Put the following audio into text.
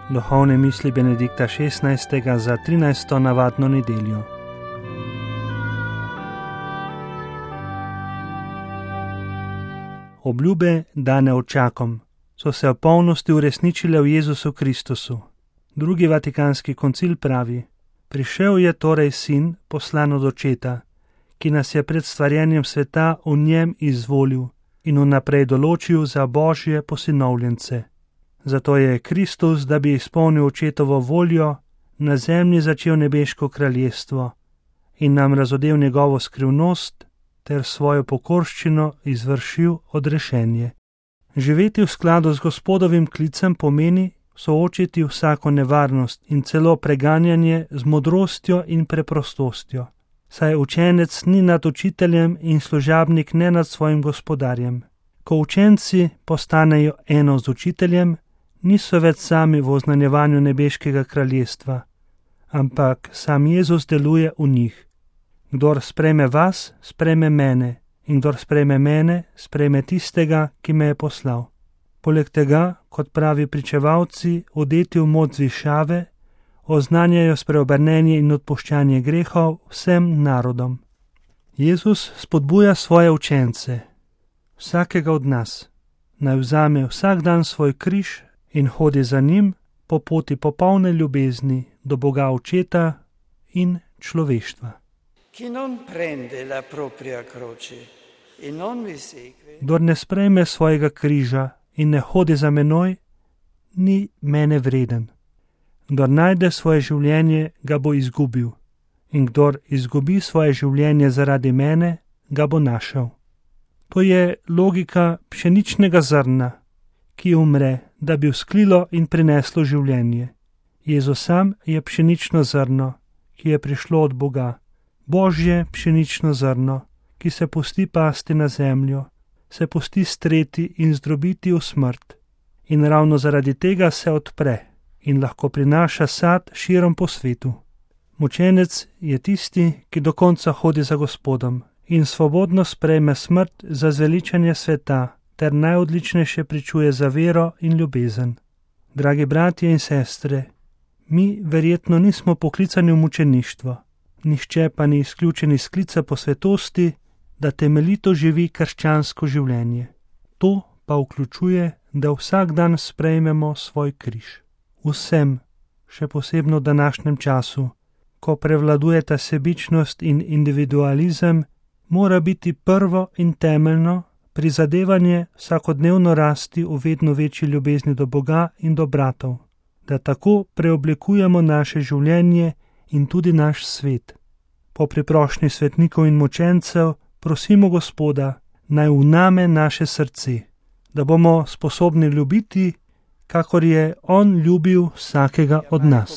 Duhovne misli Benedikta XVI. Za 13. navadno nedeljo. Obljube, dane očakom, so se v polnosti uresničile v Jezusu Kristusu. Drugi vatikanski koncil pravi: prišel je torej sin, poslan od očeta, ki nas je pred stvarjenjem sveta v njem izvolil in vnaprej določil za Božje posinovljence. Zato je Kristus, da bi izpolnil očetovo voljo, na zemlji začel nebeško kraljestvo in nam razodel njegovo skrivnost ter svojo pokorščino izvršil odrešenje. Živeti v skladu z Gospodovim klicem pomeni soočiti vsako nevarnost in celo preganjanje z modrostjo in preprostostjo, saj učenec ni nad učiteljem in služabnik ne nad svojim gospodarjem. Ko učenci postanejo eno z učiteljem, niso več sami v oznanjevanju nebeškega kraljestva, ampak sam Jezus deluje v njih. Kdor sprejme vas, sprejme mene, in kdor sprejme mene, sprejme tistega, ki me je poslal. Poleg tega, kot pravi pričevalci, odeti v moč zvišave, oznanjajo spreobrnenje in odpuščanje grehov vsem narodom. Jezus spodbuja svoje učence, vsakega od nas, naj vzame vsak dan svoj križ in hodi za njim po poti popolne ljubezni do Boga Očeta in človeštva. Kdor ne sprejme svojega križa in ne hodi za menoj, ni mene vreden. Kdor najde svoje življenje, ga bo izgubil, in kdor izgubi svoje življenje zaradi mene, ga bo našel. To je logika pšeničnega zrna, ki umre, da bi vzklilo in prineslo življenje. Jezus sam je pšenično zrno, ki je prišlo od Boga. Božje pšenično zrno, ki se pusti pasti na zemljo, se pusti streti in zdrobiti v smrt. In ravno zaradi tega se odpre in lahko prinaša sad širom po svetu. Mučenec je tisti, ki do konca hodi za Gospodom in svobodno sprejme smrt za zveličanje sveta ter najodličnejše pričuje za vero in ljubezen. Dragi bratje in sestre, mi verjetno nismo poklicani v mučeništvo, nihče pa ni izključen iz klica po svetosti, da temeljito živi krščansko življenje. To pa vključuje, da vsak dan sprejmemo svoj križ. Vsem, še posebno v današnjem času, ko prevladujeta sebičnost in individualizem, mora biti prvo in temeljno prizadevanje vsakodnevno rasti v vedno večji ljubezni do Boga in do bratov, da tako preoblikujemo naše življenje in tudi naš svet. Po priprošnji svetnikov in mučencev prosimo Gospoda, naj vname naše srce, da bomo sposobni ljubiti, kakor je On ljubil vsakega od nas.